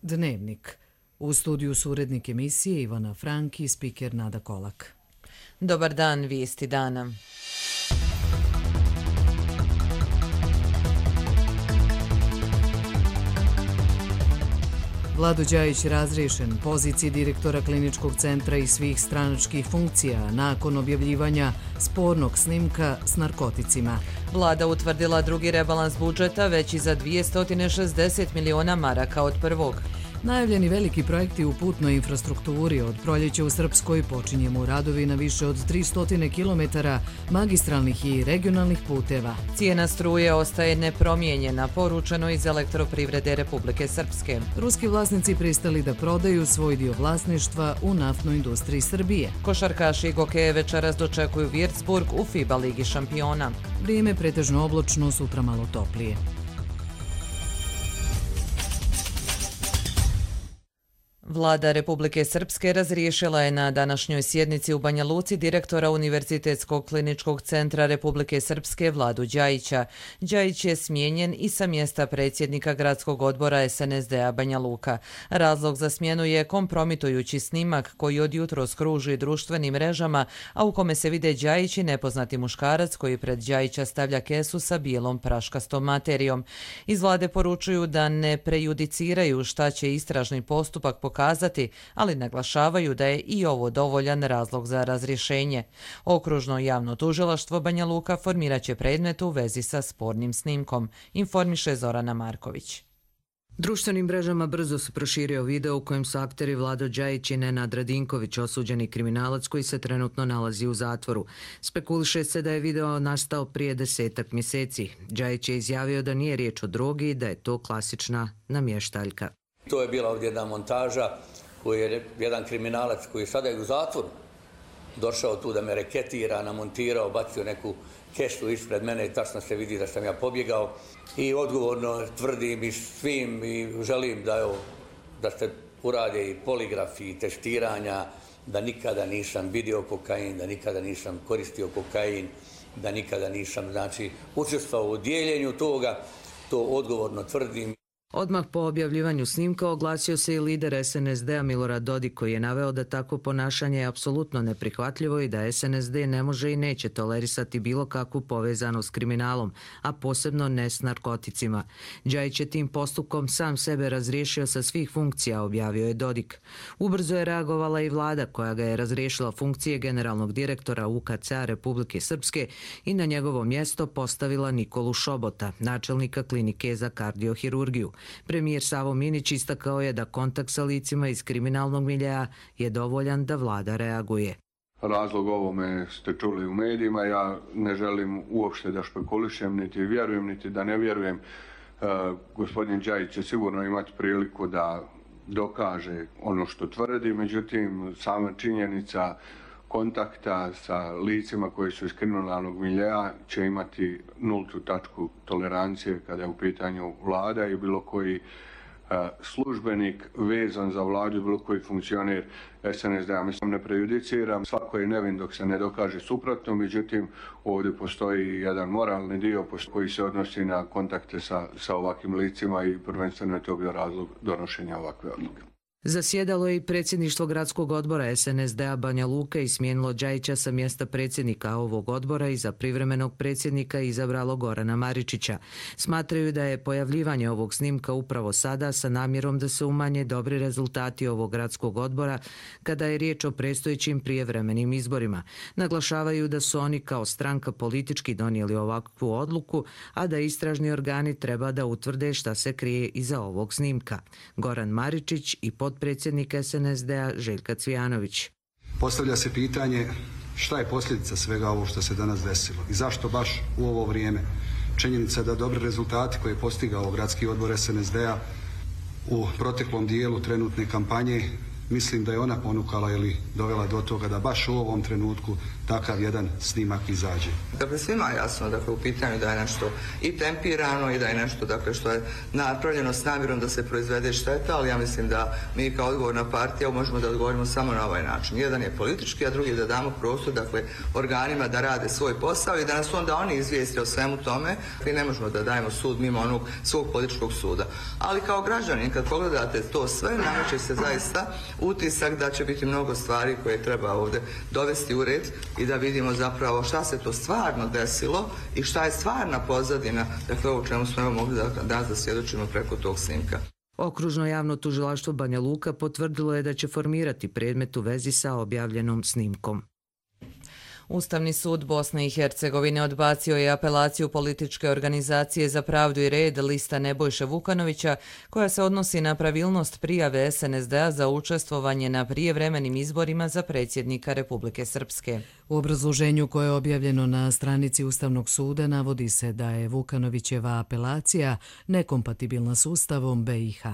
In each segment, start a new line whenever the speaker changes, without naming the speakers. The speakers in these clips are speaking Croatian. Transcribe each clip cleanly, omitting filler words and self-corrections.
Dnevnik. U studiju su urednik emisije Ivana Frank i spiker Nada Kolak.
Dobar dan, vijesti dana.
Vlado Đajić razriješen poziciji direktora kliničkog centra i svih stranačkih funkcija nakon objavljivanja spornog snimka s narkoticima.
Vlada utvrdila drugi rebalans budžeta veći za 260 miliona maraka od prvog.
Najavljeni veliki projekti u putnoj infrastrukturi. Od proljeća u Srpskoj počinjemo radovi na više od 300 km magistralnih i regionalnih puteva.
Cijena struje ostaje nepromijenjena, poručeno iz Elektroprivrede Republike Srpske.
Ruski vlasnici pristali da prodaju svoj dio vlasništva u naftnoj industriji Srbije.
Košarkaši Gokeje večeras dočekuju Würzburg u FIBA Ligi šampiona.
Vrijeme pretežno oblačno, sutra malo toplije.
Vlada Republike Srpske razriješila je na današnjoj sjednici u Banja Luci direktora Univerzitetskog kliničkog centra Republike Srpske Vladu Đajića. Đajić je smijenjen i sa mjesta predsjednika gradskog odbora SNSD-a Banja Luka. Razlog za smjenu je kompromitujući snimak koji od jutros kruži društvenim mrežama, a u kome se vide Đajić i nepoznati muškarac koji pred Đajića stavlja kesu sa bijelom praškastom materijom. Iz vlade poručuju da ne prejudiciraju šta će istražni postupak pokazati, ali naglašavaju da je i ovo dovoljan razlog za razrješenje. Okružno javno tužilaštvo Banja Luka formirat će predmet u vezi sa spornim snimkom, informiše Zorana Marković.
Društvenim mrežama brzo se proširio video u kojem su akteri Vlado Đajić i Nenad Radinković, osuđeni kriminalac koji se trenutno nalazi u zatvoru. Spekuliše se da je video nastao prije 10 mjeseci. Đajić je izjavio da nije riječ o drogi i da je to klasična namještaljka.
To je bila ovdje jedna montaža koju je jedan kriminalac koji je sada u zatvoru došao tu da me reketira, namontirao, bacio neku kesu ispred mene i tačno se vidi da sam ja pobjegao. I odgovorno tvrdim i svim i želim da se urade i poligrafi i testiranja, da nikada nisam vidio kokain, da nikada nisam koristio kokain, da nikada nisam učestvovao u dijeljenju toga, to odgovorno tvrdim.
Odmah po objavljivanju snimka oglasio se i lider SNSD-a Milorad Dodik koji je naveo da takvo ponašanje je apsolutno neprihvatljivo i da SNSD ne može i neće tolerisati bilo kakvu povezanost s kriminalom, a posebno ne s narkoticima. Đajić je tim postupkom sam sebe razriješio sa svih funkcija, objavio je Dodik. Ubrzo je reagovala i vlada koja ga je razriješila funkcije generalnog direktora UKC-a Republike Srpske i na njegovo mjesto postavila Nikolu Šobota, načelnika klinike za kardiohirurgiju. Premijer Savo Minić istakao je da kontakt sa licima iz kriminalnog miljeja je dovoljan da vlada reaguje.
Razlog ovome ste čuli u medijima, ja ne želim uopšte da špekulišem, niti vjerujem, niti da ne vjerujem. Gospodin Đajić će sigurno imati priliku da dokaže ono što tvrdi, međutim sama činjenica kontakta sa licima koji su iz kriminalnog miljeja će imati nultu tačku tolerancije kada je u pitanju vlada i bilo koji službenik vezan za vladu, bilo koji funkcioner SNSD-a. Mislim, ne prejudiciram, svako je nevin dok se ne dokaže suprotno, međutim ovdje postoji jedan moralni dio koji se odnosi na kontakte sa ovakvim licima i prvenstveno je to bio razlog donošenja ovakve odluke.
Zasjedalo je i predsjedništvo gradskog odbora SNSD-a Banja Luka i smijenilo Đajića sa mjesta predsjednika ovog odbora i za privremenog predsjednika izabralo Gorana Maričića. Smatraju da je pojavljivanje ovog snimka upravo sada sa namjerom da se umanje dobri rezultati ovog gradskog odbora kada je riječ o predstojećim prijevremenim izborima. Naglašavaju da su oni kao stranka politički donijeli ovakvu odluku, a da istražni organi treba da utvrde šta se krije iza ovog snimka. Goran Maričić i potpredsjednik SNSD-a Željka Cvijanović.
Postavlja se pitanje šta je posljedica svega ovo što se danas desilo i zašto baš u ovo vrijeme. Činjenica da dobri rezultati koje je postigao gradski odbor SNSD-a u proteklom dijelu trenutne kampanje mislim da je ona ponukala ili dovela do toga da baš u ovom trenutku takav jedan snimak izađe.
Dakle, svima je jasno u pitanju da je nešto i tempirano i da je nešto što je napravljeno s namjerom da se proizvede šteta, ali ja mislim da mi kao odgovorna partija možemo da odgovorimo samo na ovaj način. Jedan je politički, a drugi je da damo prostor organima da rade svoj posao i da nas onda oni izvijeste o svemu tome. I ne možemo da dajemo sud mimo onog svog političkog suda. Ali kao građanin, kad pogledate to sve, nameće se zaista utisak da će biti mnogo stvari koje treba ovdje dovesti u red i da vidimo zapravo šta se to stvarno desilo i šta je stvarna pozadina, dakle ovo čemu smo mogli danas da svjedočimo preko tog snimka.
Okružno javno tužilaštvo Banja Luka potvrdilo je da će formirati predmet u vezi sa objavljenom snimkom.
Ustavni sud Bosne i Hercegovine odbacio je apelaciju političke organizacije za pravdu i red lista Nebojše Vukanovića, koja se odnosi na pravilnost prijave SNSD-a za učestvovanje na prijevremenim izborima za predsjednika Republike Srpske.
U obrazloženju koje je objavljeno na stranici Ustavnog suda navodi se da je Vukanovićeva apelacija nekompatibilna s Ustavom BiH.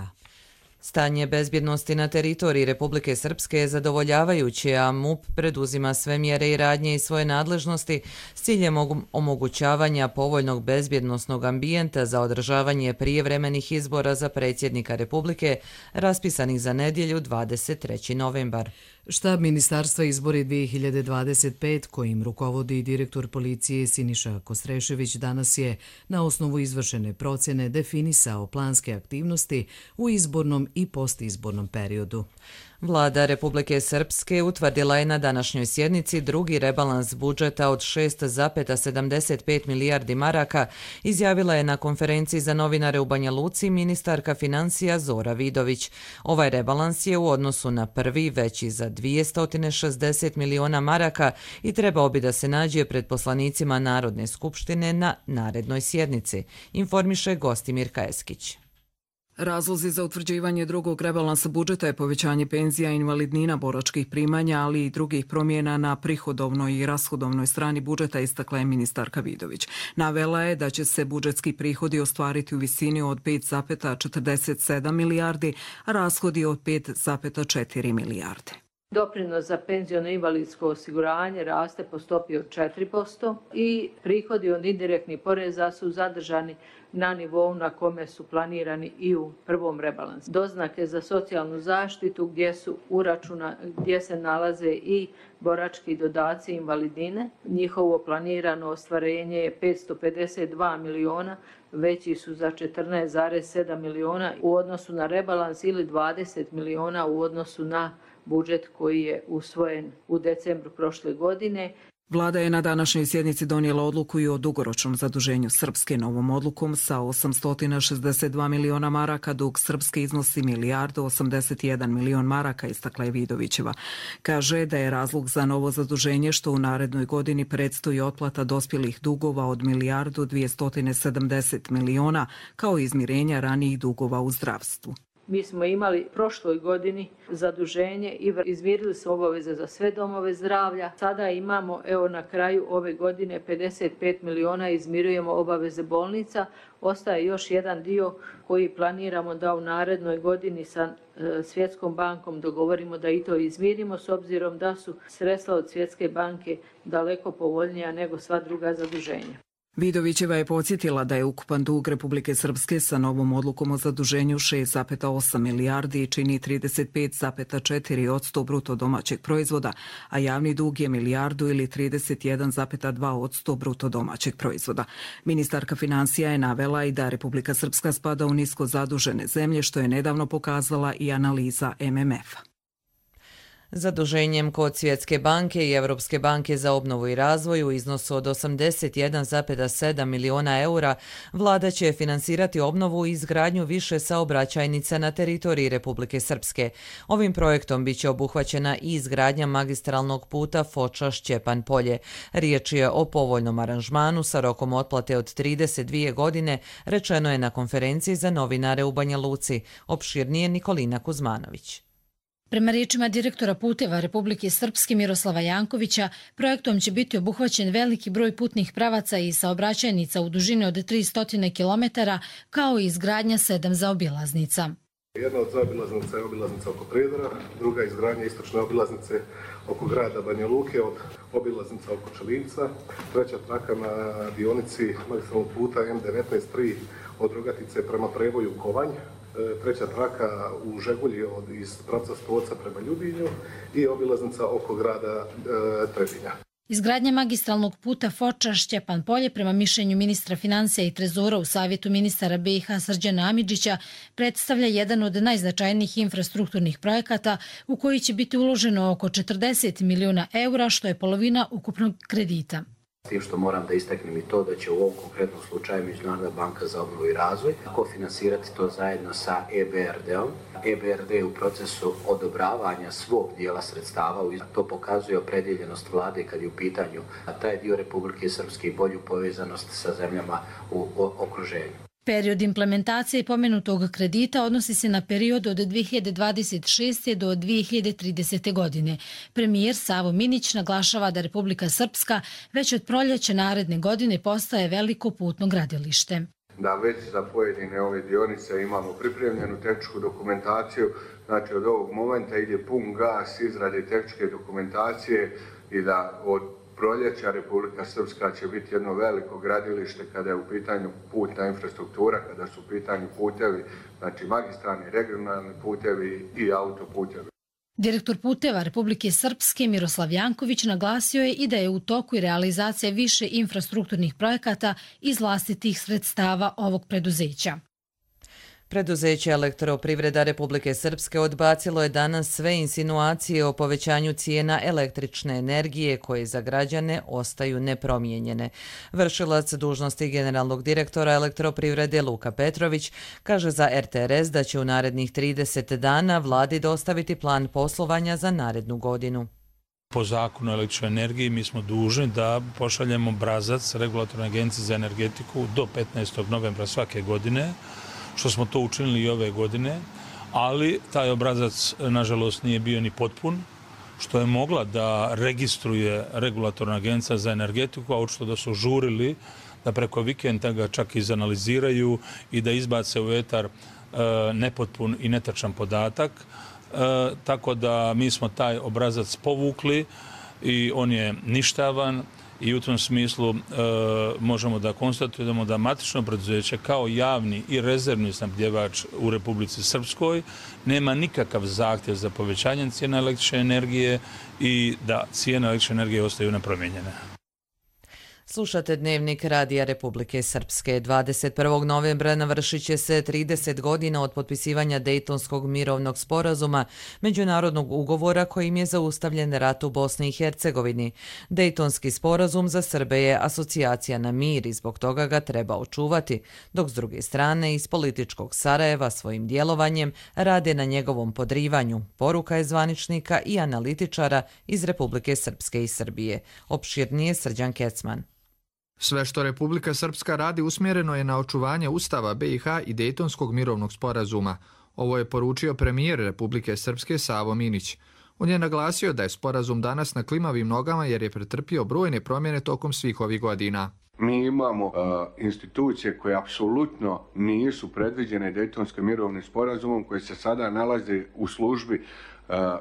Stanje bezbjednosti na teritoriji Republike Srpske je zadovoljavajuće, a MUP preduzima sve mjere i radnje iz svoje nadležnosti s ciljem omogućavanja povoljnog bezbjednosnog ambijenta za održavanje prijevremenih izbora za predsjednika Republike raspisanih za nedjelju 23. novembar.
Štab Ministarstva izbori 2025, kojim rukovodi direktor policije Siniša Kostrešević, danas je na osnovu izvršene procjene definisao planske aktivnosti u izbornom i postizbornom periodu.
Vlada Republike Srpske utvrdila je na današnjoj sjednici drugi rebalans budžeta od 6,75 milijardi maraka, izjavila je na konferenciji za novinare u Banja Luci ministarka financija Zora Vidović. Ovaj rebalans je u odnosu na prvi veći za 260 miliona maraka i trebao bi da se nađe pred poslanicima Narodne skupštine na narednoj sjednici, informiše Gostimir Kajeskić.
Razlozi za utvrđivanje drugog rebalansa budžeta je povećanje penzija i invalidnina, boračkih primanja, ali i drugih promjena na prihodovnoj i rashodovnoj strani budžeta, istakla je ministarka Vidović. Navela je da će se budžetski prihodi ostvariti u visini od 5,47 milijardi, a rashodi od 5,4 milijarde.
Doprinos za penziono i invalidsko osiguranje raste po stopi od 4% i prihodi od indirektnih poreza su zadržani na nivou na kome su planirani i u prvom rebalansu. Doznake za socijalnu zaštitu gdje se nalaze i borački dodaci i invalidine. Njihovo planirano ostvarenje je 552 miliona, veći su za 14,7 miliona u odnosu na rebalans ili 20 miliona u odnosu na budžet koji je usvojen u decembru prošle godine.
Vlada je na današnjoj sjednici donijela odluku i o dugoročnom zaduženju Srpske. Novom odlukom sa 862 miliona maraka dug Srpske iznosi 1,81 milion maraka, istakla je Vidovićeva. Kaže da je razlog za novo zaduženje što u narednoj godini predstoji otplata dospjelih dugova od 1,270 miliona kao izmirenja ranijih dugova u zdravstvu.
Mi smo imali prošloj godini zaduženje i izmirili su obaveze za sve domove zdravlja. Sada imamo, na kraju ove godine 55 miliona, izmirujemo obaveze bolnica. Ostaje još jedan dio koji planiramo da u narednoj godini sa Svjetskom bankom dogovorimo da i to izmirimo, s obzirom da su sredstva od Svjetske banke daleko povoljnija nego sva druga zaduženja.
Vidovićeva je podsjetila da je ukupan dug Republike Srpske sa novom odlukom o zaduženju 6,8 milijardi i čini 35,4% bruto domaćeg proizvoda, a javni dug je milijardu ili 31,2% bruto domaćeg proizvoda. Ministarka financija je navela i da Republika Srpska spada u nisko zadužene zemlje, što je nedavno pokazala i analiza MMF-a.
Zaduženjem kod Svjetske banke i Europske banke za obnovu i razvoj u iznosu od 81,7 miliona eura, vlada će finansirati obnovu i izgradnju više saobraćajnica na teritoriji Republike Srpske. Ovim projektom biće obuhvaćena i izgradnja magistralnog puta Foča-Šćepan Polje. Riječ je o povoljnom aranžmanu sa rokom otplate od 32 godine, rečeno je na konferenciji za novinare u Banja Luci. Opširnije Nikolina Kuzmanović.
Prema riječima direktora puteva Republike Srpske Miroslava Jankovića, projektom će biti obuhvaćen veliki broj putnih pravaca i saobraćajnica u dužini od 300 km, kao i izgradnja 7 zaobilaznica.
Jedna od zaobilaznica je obilaznica oko Prijedora, druga je izgradnja istočne obilaznice oko grada Banja Luke od obilaznica oko Čelinca, treća traka na dionici magistralnog puta M19-3 od Rogatice prema Prevoju Kovanj, treća traka u Žegulji iz pravca Stoca prema Ljubinju i obilaznica oko grada Trebinja.
Izgradnja magistralnog puta Foča-Šćepan Polje prema mišljenju ministra financija i trezora u Savjetu ministara BiH Srđana Amidžića predstavlja jedan od najznačajnijih infrastrukturnih projekata u koji će biti uloženo oko 40 milijuna eura, što je polovina ukupnog kredita.
S tim što moram da istaknem i to da će u ovom konkretnom slučaju Međunarodna banka za obnovu i razvoj kofinansirati to zajedno sa EBRD-om. EBRD je u procesu odobravanja svog dijela sredstava. To pokazuje opredjeljenost vlade kad je u pitanju taj dio Republike Srpske i bolju povezanost sa zemljama u okruženju.
Period implementacije pomenutog kredita odnosi se na period od 2026. do 2030. godine. Premijer Savo Minić naglašava da Republika Srpska već od proljeća naredne godine postaje veliko putno gradilište.
Da već za pojedine ove dionice imamo pripremljenu tehničku dokumentaciju, znači od ovog momenta ide pun gas izrade tehničke dokumentacije i da od proljeća Republika Srpska će biti jedno veliko gradilište kada je u pitanju putna infrastruktura, kada su u pitanju putevi, znači magistralni, regionalni putevi i autoputevi.
Direktor puteva Republike Srpske Miroslav Janković naglasio je i da je u toku i realizacija više infrastrukturnih projekata iz vlastitih sredstava ovog preduzeća.
Preduzeće Elektroprivreda Republike Srpske odbacilo je danas sve insinuacije o povećanju cijena električne energije koje za građane ostaju nepromijenjene. Vršilac dužnosti generalnog direktora Elektroprivrede Luka Petrović kaže za RTRS da će u narednih 30 dana vladi dostaviti plan poslovanja za narednu godinu.
Po zakonu o električnoj energiji mi smo dužni da pošaljemo obrazac Regulatorne agencije za energetiku do 15. novembra svake godine, što smo to učinili i ove godine, ali taj obrazac, nažalost, nije bio ni potpun, što je mogla da registruje Regulatorna agencija za energetiku, a očito da su žurili da preko vikenda ga čak izanaliziraju i da izbace u etar nepotpun i netačan podatak. Tako da mi smo taj obrazac povukli i on je ništavan. I u tom smislu možemo da konstatujemo da matično preduzeće kao javni i rezervni snabdjevač u Republici Srpskoj nema nikakav zahtjev za povećanje cijena električne energije i da cijene električne energije ostaju nepromijenjene.
Slušate Dnevnik Radija Republike Srpske. 21. novembra navršit će se 30 godina od potpisivanja Dejtonskog mirovnog sporazuma, međunarodnog ugovora kojim je zaustavljen rat u Bosni i Hercegovini. Dejtonski sporazum za Srbe je asocijacija na mir i zbog toga ga treba očuvati, dok s druge strane iz političkog Sarajeva svojim djelovanjem rade na njegovom podrivanju. Poruka je zvaničnika i analitičara iz Republike Srpske i Srbije. Opširnije Srđan Kecman.
Sve što Republika Srpska radi usmjereno je na očuvanje Ustava BiH i Dejtonskog mirovnog sporazuma. Ovo je poručio premijer Republike Srpske Savo Minić. On je naglasio da je sporazum danas na klimavim nogama jer je pretrpio brojne promjene tokom svih ovih godina.
Mi imamo institucije koje apsolutno nisu predviđene Dejtonskim mirovnim sporazumom, koje se sada nalaze u službi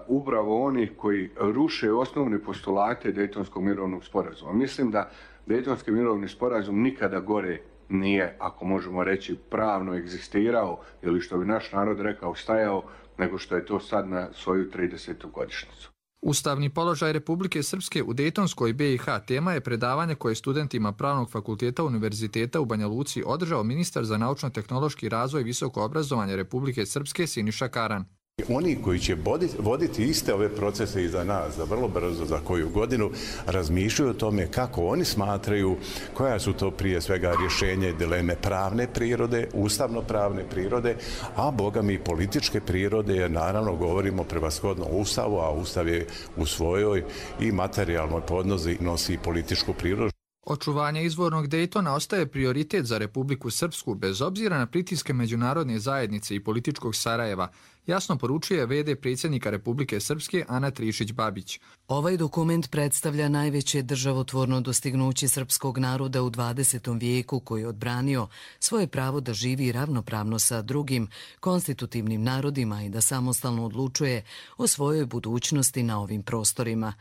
upravo onih koji ruše osnovne postulate Dejtonskog mirovnog sporazuma. Mislim da Dejtonski mirovni sporazum nikada gore nije, ako možemo reći, pravno egzistirao ili što bi naš narod rekao stajao, nego što je to sad na svoju 30. godišnjicu.
Ustavni položaj Republike Srpske u Dejtonskoj BiH tema je predavanje koje studentima Pravnog fakulteta Univerziteta u Banja Luci održao ministar za naučno-tehnološki razvoj i visoko obrazovanje Republike Srpske Siniša Karan.
Oni koji će voditi iste ove procese iza nas, za vrlo brzo, za koju godinu, razmišljaju o tome kako oni smatraju koja su to prije svega rješenje i dileme pravne prirode, ustavno-pravne prirode, a boga mi političke prirode, jer naravno govorimo prevashodno o Ustavu, a Ustav je u svojoj i materijalnoj podnozi nosi političku prirodu.
Očuvanje izvornog Dejtona ostaje prioritet za Republiku Srpsku bez obzira na pritiske međunarodne zajednice i političkog Sarajeva, jasno poručuje VD predsjednika Republike Srpske Ana Trišić-Babić.
Ovaj dokument predstavlja najveće državotvorno dostignuće srpskog naroda u 20. vijeku koji je odbranio svoje pravo da živi ravnopravno sa drugim konstitutivnim narodima i da samostalno odlučuje o svojoj budućnosti na ovim prostorima.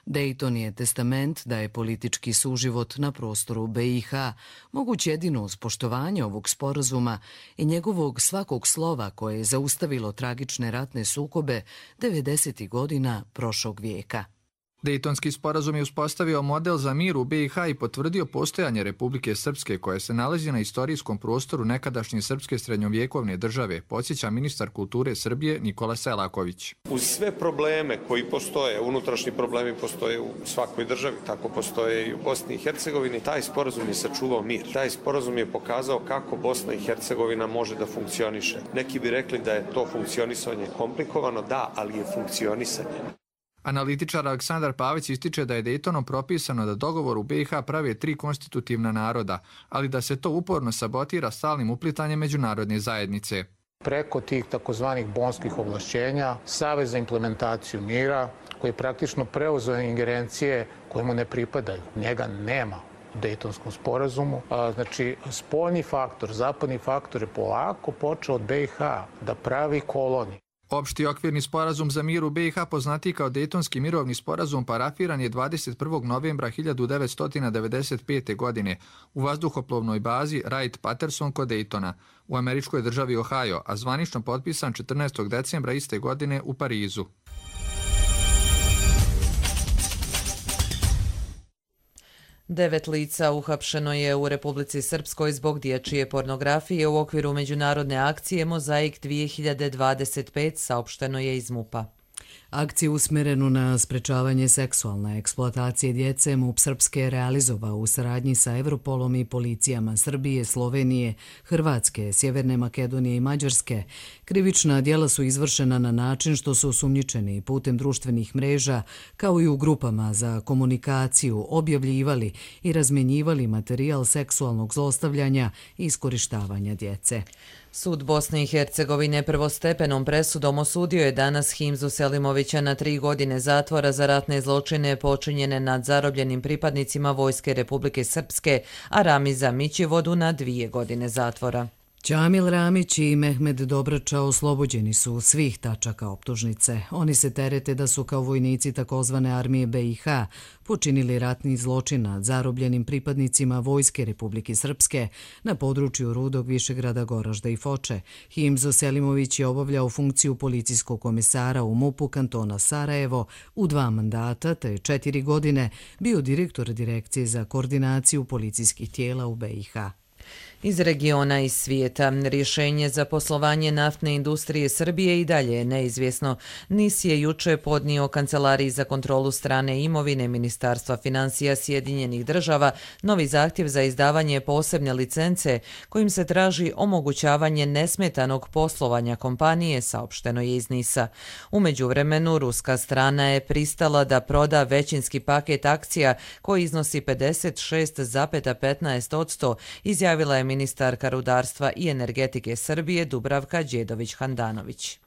Dejton je testament da je politički suživot na prostoru BiH moguć jedino uz poštovanje ovog sporazuma i njegovog svakog slova koje je zaustavilo tragične ratne sukobe 90. godina prošlog vijeka.
Dejtonski sporazum je uspostavio model za mir u BiH i potvrdio postojanje Republike Srpske koja se nalazi na istorijskom prostoru nekadašnje srpske srednjovjekovne države, podsjeća ministar kulture Srbije Nikola Selaković.
Uz sve probleme koji postoje, unutrašnji problemi postoje u svakoj državi, tako postoje i u Bosni i Hercegovini, taj sporazum je sačuvao mir. Taj sporazum je pokazao kako Bosna i Hercegovina može da funkcioniše. Neki bi rekli da je to funkcionisanje komplikovano, da, ali je funkcionisanje.
Analitičar Aleksandar Pavić ističe da je Dejtonom propisano da dogovor u BiH prave 3 konstitutivna naroda, ali da se to uporno sabotira stalnim uplitanjem međunarodne zajednice.
Preko tih takozvanih bonskih ovlašćenja, Savez za implementaciju mira, koji je praktično preuzeo ingerencije koje mu ne pripadaju. Njega nema u Dejtonskom sporazumu. Znači, spoljni faktor, zapadni faktor je polako počeo od BiH da pravi koloniju.
Opšti okvirni sporazum za mir u BiH, poznatiji kao Dejtonski mirovni sporazum, parafiran je 21. novembra 1995. godine u vazduhoplovnoj bazi Wright-Patterson kod Dejtona u američkoj državi Ohio, a zvanično potpisan 14. decembra iste godine u Parizu.
Devet lica uhapšeno je u Republici Srpskoj zbog dječje pornografije u okviru međunarodne akcije Mozaik 2025, saopšteno je iz MUP-a.
Akciju usmerenu na sprečavanje seksualne eksploatacije djece MUP Srpske je realizovao u saradnji sa Europolom i policijama Srbije, Slovenije, Hrvatske, Sjeverne Makedonije i Mađarske. Krivična djela su izvršena na način što su osumnjičeni putem društvenih mreža, kao i u grupama za komunikaciju, objavljivali i razmjenjivali materijal seksualnog zlostavljanja i iskorištavanja djece.
Sud Bosne i Hercegovine prvostepenom presudom osudio je danas Himzu Selimovića na 3 godine zatvora za ratne zločine počinjene nad zarobljenim pripadnicima Vojske Republike Srpske, a Ramiza Mićivodu na 2 godine zatvora.
Ćamil Ramić i Mehmed Dobrača oslobođeni su svih tačaka optužnice. Oni se terete da su kao vojnici takozvane armije BiH počinili ratni zločin nad zarobljenim pripadnicima Vojske Republike Srpske na području Rudog, Višegrada, Goražda i Foče. Himzo Selimović je obavljao funkciju policijskog komisara u MUP-u kantona Sarajevo u 2 mandata, te 4 godine bio direktor Direkcije za koordinaciju policijskih tijela u BiH.
Iz regiona i svijeta, rješenje za poslovanje naftne industrije Srbije i dalje je neizvjesno. NIS je juče podnio Kancelariji za kontrolu strane imovine Ministarstva financija Sjedinjenih država novi zahtjev za izdavanje posebne licence kojim se traži omogućavanje nesmetanog poslovanja kompanije, saopšteno je iz NIS-a. U međuvremenu, ruska strana je pristala da proda većinski paket akcija koji iznosi 56,15%, izjavila je ministarka rudarstva i energetike Srbije Dubravka Đedović-Handanović.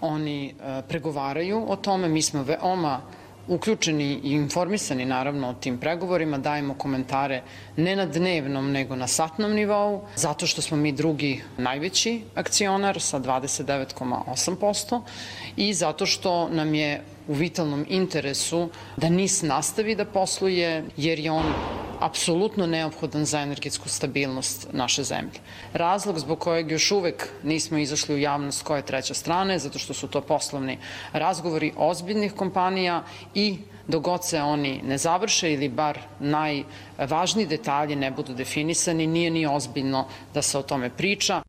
Oni pregovaraju o tome, mi smo veoma uključeni i informisani naravno o tim pregovorima, dajemo komentare ne na dnevnom nego na satnom nivou, zato što smo mi drugi najveći akcionar sa 29,8% i zato što nam je u vitalnom interesu da NIS nastavi da posluje jer je on apsolutno neophodan za energetsku stabilnost naše zemlje. Razlog zbog kojeg još uvek nismo izašli u javnost koja je treća strana je zato što su to poslovni razgovori ozbiljnih kompanija i dok god se oni ne završe ili bar najvažniji detalji ne budu definisani, nije ni ozbiljno da se o tome priča.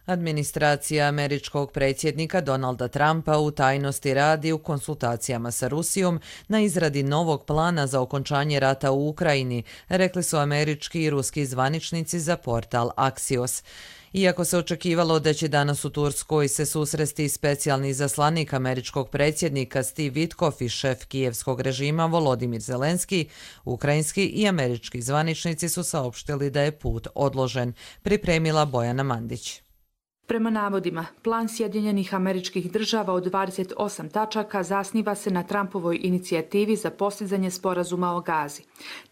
Administracija američkog predsjednika Donalda Trumpa u tajnosti radi u konsultacijama sa Rusijom na izradi novog plana za okončanje rata u Ukrajini, rekli su američki i ruski zvaničnici za portal Axios. Iako se očekivalo da će danas u Turskoj se susresti specijalni izaslanik američkog predsjednika Steve Witkoff i šef kijevskog režima Volodimir Zelenski, ukrajinski i američki zvaničnici su saopštili da je put odložen, pripremila Bojana Mandić.
Prema navodima, plan Sjedinjenih Američkih Država od 28 tačaka zasniva se na Trumpovoj inicijativi za postizanje sporazuma o Gazi.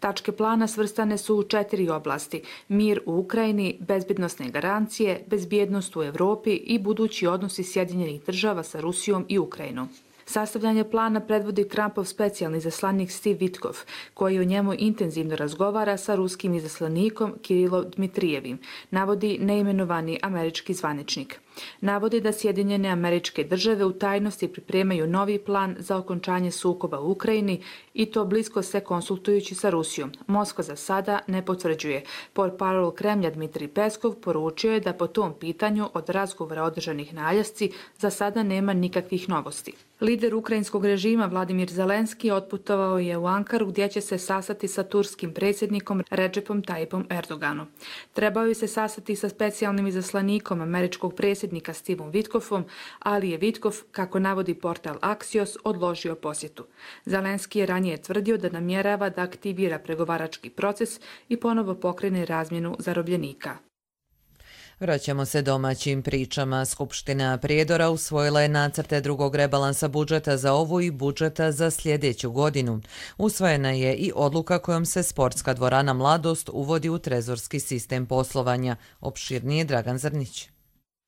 Tačke plana svrstane su u 4 oblasti: mir u Ukrajini, bezbednosne garancije, bezbjednost u Evropi i budući odnosi Sjedinjenih Država sa Rusijom i Ukrajinom. Sastavljanje plana predvodi Trumpov specijalni izaslanik Steve Witkoff, koji o njemu intenzivno razgovara sa ruskim izaslanikom Kirilom Dmitrijevim, navodi neimenovani američki zvaničnik. Navodi da Sjedinjene Američke Države u tajnosti pripremaju novi plan za okončanje sukoba u Ukrajini i to blisko se konsultujući sa Rusijom. Moskva za sada ne potvrđuje. Portparol Kremlja Dmitrij Peskov poručio je da po tom pitanju od razgovora održanih na Aljasci za sada nema nikakvih novosti. Lider ukrajinskog režima Vladimir Zelenski otputovao je u Ankaru gdje će se sastati sa turskim predsjednikom Recepom Tayyipom Erdoganom. Trebao je se sastati sa specijalnim izaslanikom američkog predsjednika Steveom Witkoffom, ali je Witkoff, kako navodi portal Axios, odložio posjetu. Zelenski je ranije tvrdio da namjerava da aktivira pregovarački proces i ponovo pokrene razmjenu zarobljenika.
Vraćamo se domaćim pričama. Skupština Prijedora usvojila je nacrte drugog rebalansa budžeta za ovu i budžeta za sljedeću godinu. Usvojena je i odluka kojom se sportska dvorana Mladost uvodi u trezorski sistem poslovanja. Opširnije Dragan Zrnić.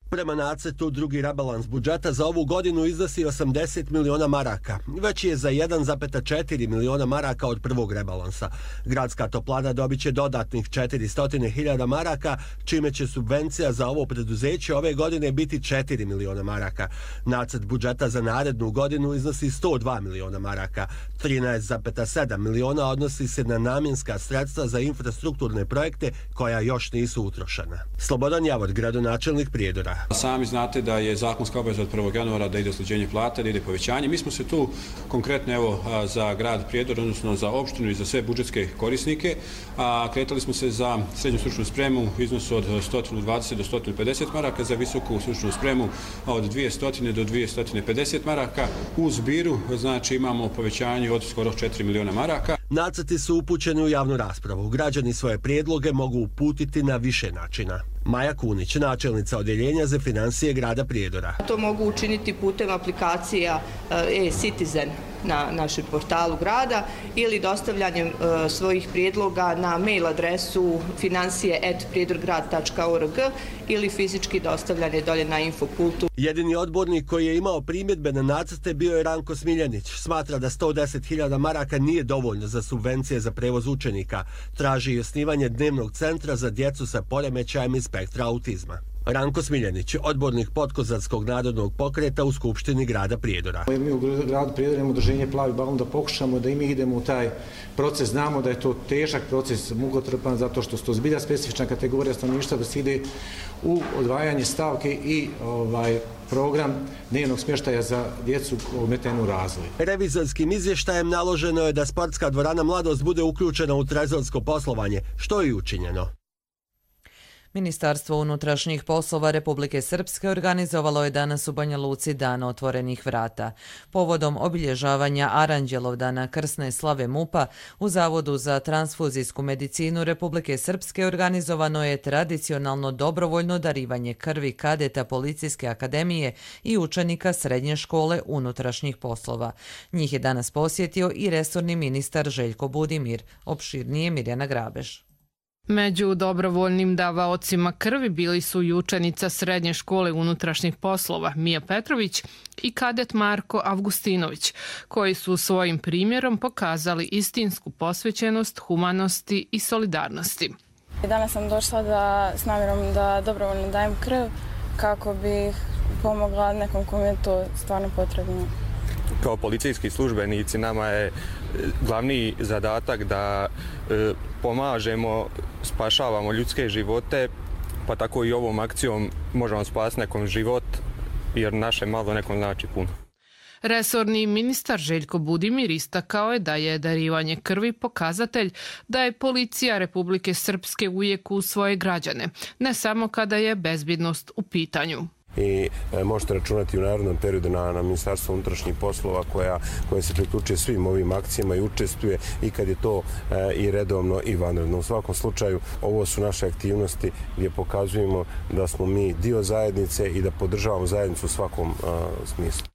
Prema nacrtu, drugi rebalans budžeta za ovu godinu iznosi 80 miliona maraka. Veći je za 1,4 miliona maraka od prvog rebalansa. Gradska toplana dobit će dodatnih 400.000 maraka, čime će subvencija za ovo preduzeće ove godine biti 4 miliona maraka. Nacrt budžeta za narednu godinu iznosi 102 miliona maraka. 13,7 miliona odnosi se na namjenska sredstva za infrastrukturne projekte koja još nisu utrošena. Slobodan Javor, gradonačelnik Prijedora.
Sami znate da je zakonska obaveza od 1. januara da ide usklađenje plata, da ide povećanje. Mi smo se tu konkretno za grad Prijedor, odnosno za opštinu i za sve budžetske korisnike, kretali smo se za srednju stručnu spremu u iznosu od 120 do 150 maraka, za visoku stručnu spremu od 200 do 250 maraka. U zbiru znači imamo povećanje od skoro 4 miliona maraka.
Nacrti su upućeni u javnu raspravu. Građani svoje prijedloge mogu uputiti na više načina. Maja Kunić, načelnica Odjeljenja za financije grada Prijedora.
To mogu učiniti putem aplikacija e-Citizen na našem portalu grada ili dostavljanjem svojih prijedloga na mail adresu financije@prijedorgrad.org ili fizički dostavljanje dolje na Infopultu.
Jedini odbornik koji je imao primjedbe na nacrte bio je Ranko Smiljanić. Smatra da 110.000 maraka nije dovoljno za subvencije za prevoz učenika. Traži i osnivanje dnevnog centra za djecu sa poremećajem iz spektra autizma. Ranko Smiljanić, odbornik Podkozarskog narodnog pokreta u Skupštini grada Prijedora.
Mi u gradu Prijedora imamo udruženje Plavi balon da pokušamo da i mi idemo u taj proces. Znamo da je to težak proces, mukotrpan, zato što su to zbilja specifična kategorija stanovništva, da se ide u odvajanje stavke i program dnevnog smještaja za djecu ometenu u razvoju.
Revizorskim izvještajem naloženo je da sportska dvorana Mladost bude uključena u trezorsko poslovanje, što je i učinjeno.
Ministarstvo unutrašnjih poslova Republike Srpske organizovalo je danas u Banja Luci Dan otvorenih vrata. Povodom obilježavanja Aranđelovdana krsne slave MUP-a u Zavodu za transfuzijsku medicinu Republike Srpske organizovano je tradicionalno dobrovoljno darivanje krvi kadeta Policijske akademije i učenika Srednje škole unutrašnjih poslova. Njih je danas posjetio i resorni ministar Željko Budimir. Opširnije Mirjana Grabež.
Među dobrovoljnim davaocima krvi bili su i učenica Srednje škole unutrašnjih poslova Mija Petrović i kadet Marko Avgustinović, koji su svojim primjerom pokazali istinsku posvećenost, humanosti i solidarnosti.
Danas sam došla s namjerom da dobrovoljno dajem krv kako bih pomogla nekom kome je to stvarno potrebno.
Kao policijski službenici nama je glavni zadatak da pomažemo, spašavamo ljudske živote, pa tako i ovom akcijom možemo spasiti nekom život, jer naše malo nekom znači puno.
Resorni ministar Željko Budimir istakao je da je darivanje krvi pokazatelj da je policija Republike Srpske uvijek uz svoje građane, ne samo kada je bezbjednost u pitanju.
i možete računati u narednom periodu na Ministarstvo unutrašnjih poslova koje se priključuje svim ovim akcijama i učestvuje i kad je to i redovno i vanredno. U svakom slučaju ovo su naše aktivnosti gdje pokazujemo da smo mi dio zajednice i da podržavamo zajednicu u svakom smislu.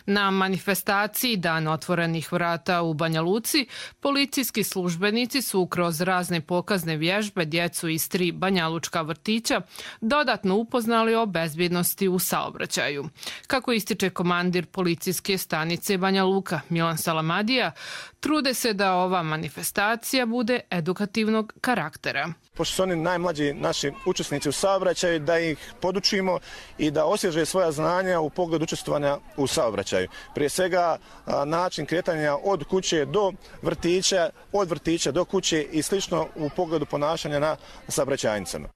Na manifestaciji Dan otvorenih vrata u Banja Luci policijski službenici su kroz razne pokazne vježbe djecu iz 3 banjalučka vrtića dodatno upoznali o bezbjednosti u saobraćaju. Kako ističe komandir policijske stanice Banja Luka Milan Salamadija, trude se da ova manifestacija bude edukativnog karaktera.
Pošto su oni najmlađi naši učesnici u saobraćaju, da ih podučimo i da osvježe svoja znanja u pogledu učestvovanja u saobraćaju. Prije svega način kretanja od kuće do vrtića, od vrtića do kuće i slično u pogledu ponašanja na saobraćajnicama.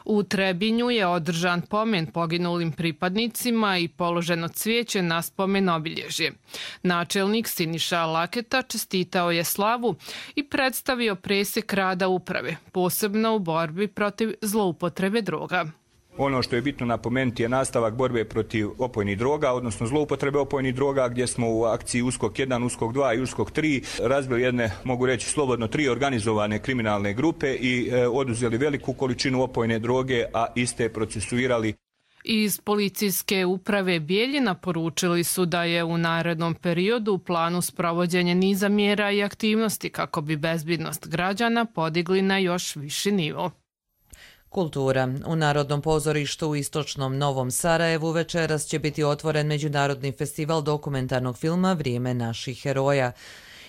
U Trebinju je održan pomen poginulim pripadnicima i položeno cvijeće na spomen obilježje. Načelnik Siniša Laketa čestitao je slavu i predstavio presjek rada uprave, posebno u borbi protiv zloupotrebe droga.
Ono što je bitno napomenuti je nastavak borbe protiv opojnih droga, odnosno zloupotrebe opojnih droga, gdje smo u akciji USKOK 1, USKOK 2 i USKOK 3 razbili jedne, mogu reći slobodno, 3 organizovane kriminalne grupe i oduzeli veliku količinu opojne droge, a iste procesuirali.
Iz policijske uprave Bijeljina poručili su da je u narednom periodu u planu sprovođenje niza mjera i aktivnosti kako bi bezbjednost građana podigli na još viši nivo.
Kultura. U Narodnom pozorištu u istočnom Novom Sarajevu večeras će biti otvoren Međunarodni festival dokumentarnog filma Vrijeme naših heroja.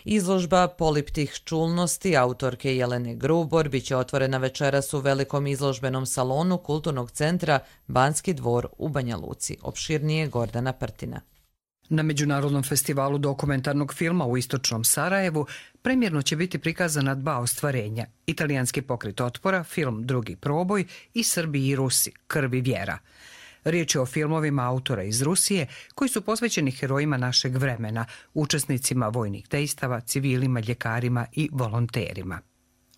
Izložba poliptih čulnosti autorke Jelene Grubor biće otvorena večeras u velikom izložbenom salonu Kulturnog centra Banski dvor u Banja Luci. Opširnije Gordana Prtina.
Na Međunarodnom festivalu dokumentarnog filma u istočnom Sarajevu premjerno će biti prikazana 2 ostvarenja. Italijanski pokret otpora, film Drugi proboj i Srbi i Rusi, Krv i vjera. Riječ je o filmovima autora iz Rusije koji su posvećeni herojima našeg vremena, učesnicima vojnih dejstava, civilima, ljekarima i volonterima.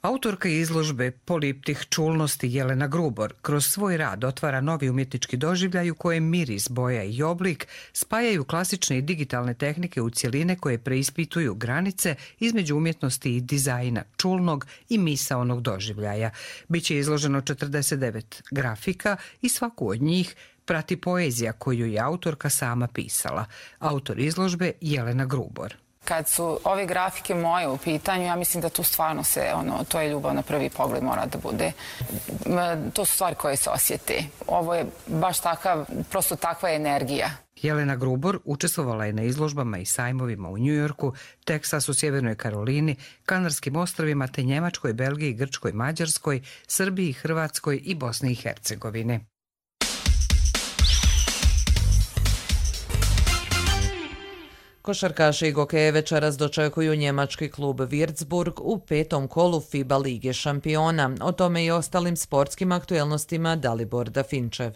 Autorka izložbe poliptih čulnosti Jelena Grubor kroz svoj rad otvara novi umjetnički doživljaj u kojem miris, boja i oblik spajaju klasične i digitalne tehnike u cjeline koje preispituju granice između umjetnosti i dizajna, čulnog i misaonog doživljaja. Biće izloženo 49 grafika i svaku od njih prati poezija koju je autorka sama pisala. Autor izložbe Jelena Grubor.
Kad su ove grafike moje u pitanju, ja mislim da tu stvarno to je ljubav na prvi pogled mora da bude. To su stvari koje se osjete. Ovo je baš prosto takva energija.
Jelena Grubor učestvovala je na izložbama i sajmovima u Njujorku, Teksasu, Sjevernoj Karolini, Kanarskim ostrvima te Njemačkoj, Belgiji, Grčkoj, Mađarskoj, Srbiji, Hrvatskoj i Bosni i Hercegovini.
Košarkaši i gokeje večeras dočekuju njemački klub Würzburg u 5. kolu FIBA Lige šampiona. O tome i ostalim sportskim aktuelnostima Dalibor Dafinčev.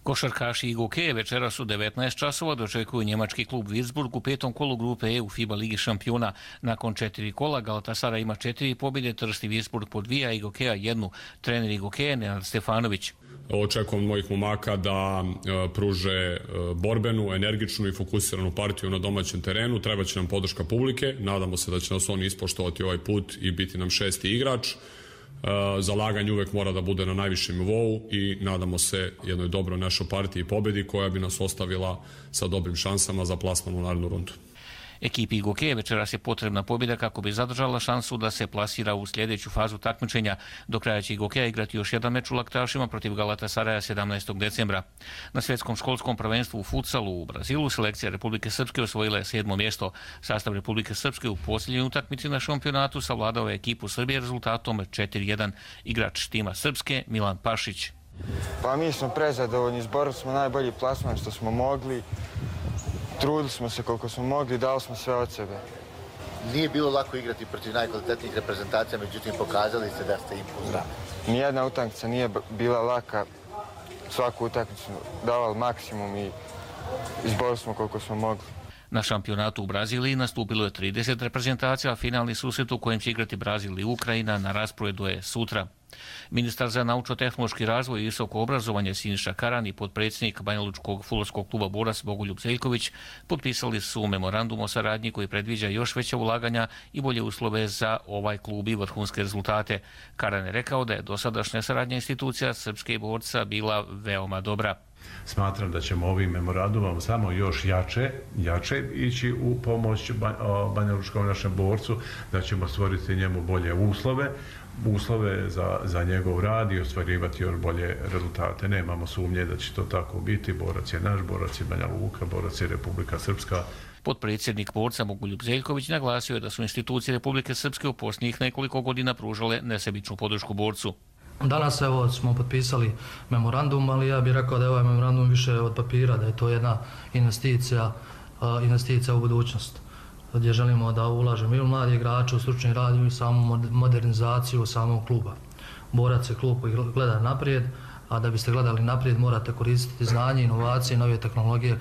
Košarkaši i gokeje večeras u 19 časova dočekuju njemački klub Würzburg u 5. kolu grupe E u FIBA Ligi šampiona. Nakon 4 kola Galatasaray ima 4 pobjede, Trsti Würzburg po 2, i gokeja 1. Trener i gokeje Nenad Stefanović.
Očekujem mojih momaka da pruže borbenu, energičnu i fokusiranu partiju na domaćem terenu. Treba će nam podrška publike. Nadamo se da će nas oni ispoštovati ovaj put i biti nam 6. igrač. Zalaganje uvek mora da bude na najvišem nivou i nadamo se jednoj dobroj našoj partiji i pobjedi koja bi nas ostavila sa dobrim šansama za plasman u narednu rundu.
Ekipi gokeje večeras je potrebna pobjeda kako bi zadržala šansu da se plasira u sljedeću fazu takmičenja. Do kraja će gokeja igrati još jedan meč u Laktašima protiv Galatasaraja 17. decembra. Na svjetskom školskom prvenstvu u futsalu u Brazilu selekcija Republike Srpske osvojila je 7. mjesto. Sastav Republike Srpske u posljednjoj utakmici na šampionatu savladao je ekipu Srbije rezultatom 4-1. Igrač tima Srpske Milan Pašić.
Pa mi smo prezadovoljni, izborili smo najbolji plasman što smo mogli. Trudili smo se koliko smo mogli, dali smo sve od sebe.
Nije bilo lako igrati protiv najkvalitetnijih reprezentacija, međutim pokazali ste da ste impulzivni.
Nijedna utakmica nije bila laka, svaku utakmicu davali maksimum i izborili smo koliko smo mogli.
Na šampionatu u Braziliji nastupilo je 30 reprezentacija, a finalni susret u kojem će igrati Brazil i Ukrajina na rasporedu je sutra. Ministar za naučno-tehnološki razvoj i visoko obrazovanje Siniša Karan i potpredsjednik Banjalučkog fudbalskog kluba Borac Bogoljub Zeljković potpisali su memorandum o saradnji koji predviđa još veća ulaganja i bolje uslove za ovaj klub i vrhunske rezultate. Karan je rekao da je dosadašnja saradnja institucija Srpske i Borca bila veoma dobra.
Smatram da ćemo ovim memorandumom samo još jače ići u pomoć Banjalučkom našem borcu, da ćemo stvoriti njemu bolje uslove za njegov rad i ostvarivati još bolje rezultate. Nemamo sumnje da će to tako biti. Borac je naš, Borac je Banja Luka, Borac je Republika Srpska.
Potpredsjednik Borca Bogoljub Zeljković naglasio je da su institucije Republike Srpske u posljednjih nekoliko godina pružale nesebičnu podršku Borcu.
Danas evo smo potpisali memorandum, ali ja bih rekao da je ovaj memorandum više od papira, da je to jedna investicija u budućnost, gdje želimo da ulažemo i u mladi igrače, u stručni rad i u samu modernizaciju samog kluba. Borac je klub koji gleda naprijed, a da biste gledali naprijed morate koristiti znanje, inovacije i nove tehnologije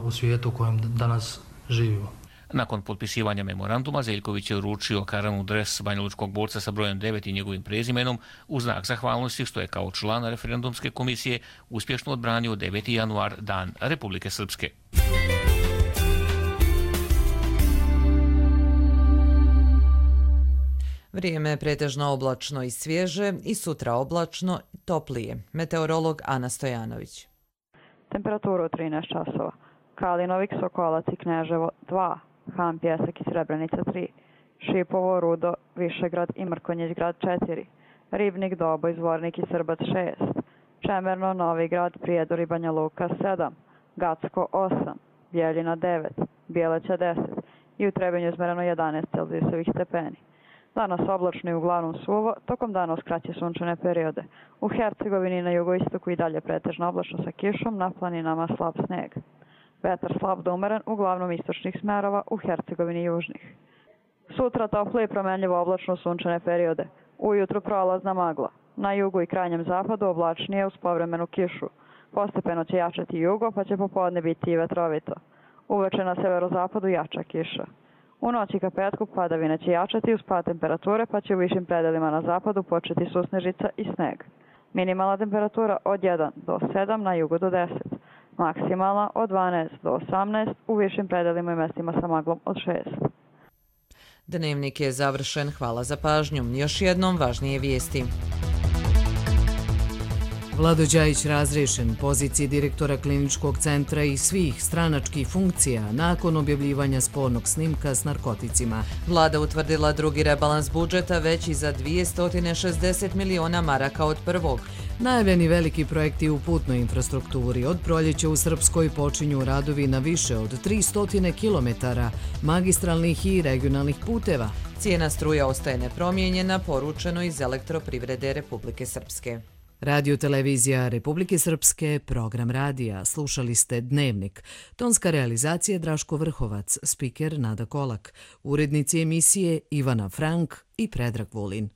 u svijetu u kojem danas živimo.
Nakon potpisivanja memoranduma, Zeljković je uručio Karanu dres Banjalučkog Borca sa brojem 9 i njegovim prezimenom u znak zahvalnosti što je kao član referendumske komisije uspješno odbranio 9. januar, Dan Republike Srpske.
Vrijeme je pretežno oblačno i svježe i sutra oblačno i toplije. Meteorolog Ana Stojanović.
Temperaturu 13 časova. Kalinovik, Sokolac i Kneževo 2. Han, Pjesak i Srebrenica 3, Šipovo, Rudo, Višegrad i Mrkonjić grad 4, Ribnik, Doboj, Zvornik i Srbac 6, Čemerno, Novi grad, Prijedor i Banja Luka 7, Gacko 8, Bjeljina 9, Bjeleća 10 i u Trebinju izmereno 11 celzijusovih stepeni. Danas oblačno i uglavnom suvo, tokom dana uz kraće sunčane periode. U Hercegovini na jugoistoku i dalje pretežno oblačno sa kišom, na planinama slab sneg. Vetar slab do umeren, uglavnom istočnih smerova, u Hercegovini južnih. Sutra tople i promenljivo oblačno sunčane periode. Ujutru prolazna magla. Na jugu i krajnjem zapadu oblačnije uz povremenu kišu. Postepeno će jačati jugo, pa će popodne biti i vetrovito. Uveče na severozapadu jača kiša. U noći ka petku padavine će jačati uz pad temperature, pa će u višim predelima na zapadu početi susnežica i sneg. Minimalna temperatura od 1 do 7, na jugu do 10. Maksimalna od 12 do 18, u višim predelima i mestima sa maglom od 6.
Dnevnik je završen. Hvala za pažnju. Još jednom važnije vijesti.
Vlado Đajić razrešen poziciji direktora kliničkog centra i svih stranačkih funkcija nakon objavljivanja spornog snimka s narkoticima.
Vlada utvrdila drugi rebalans budžeta veći za 260 miliona maraka od prvog.
Najavljeni veliki projekti u putnoj infrastrukturi. Od proljeća u Srpskoj počinju radovi na više od 300 kilometara magistralnih i regionalnih puteva.
Cijena struje ostaje nepromijenjena, poručeno iz Elektroprivrede Republike Srpske.
Radio televizija Republike Srpske, program radija. Slušali ste Dnevnik. Tonska realizacija Draško Vrhovac, spiker Nada Kolak, urednici emisije Ivana Frank i Predrag Vulin.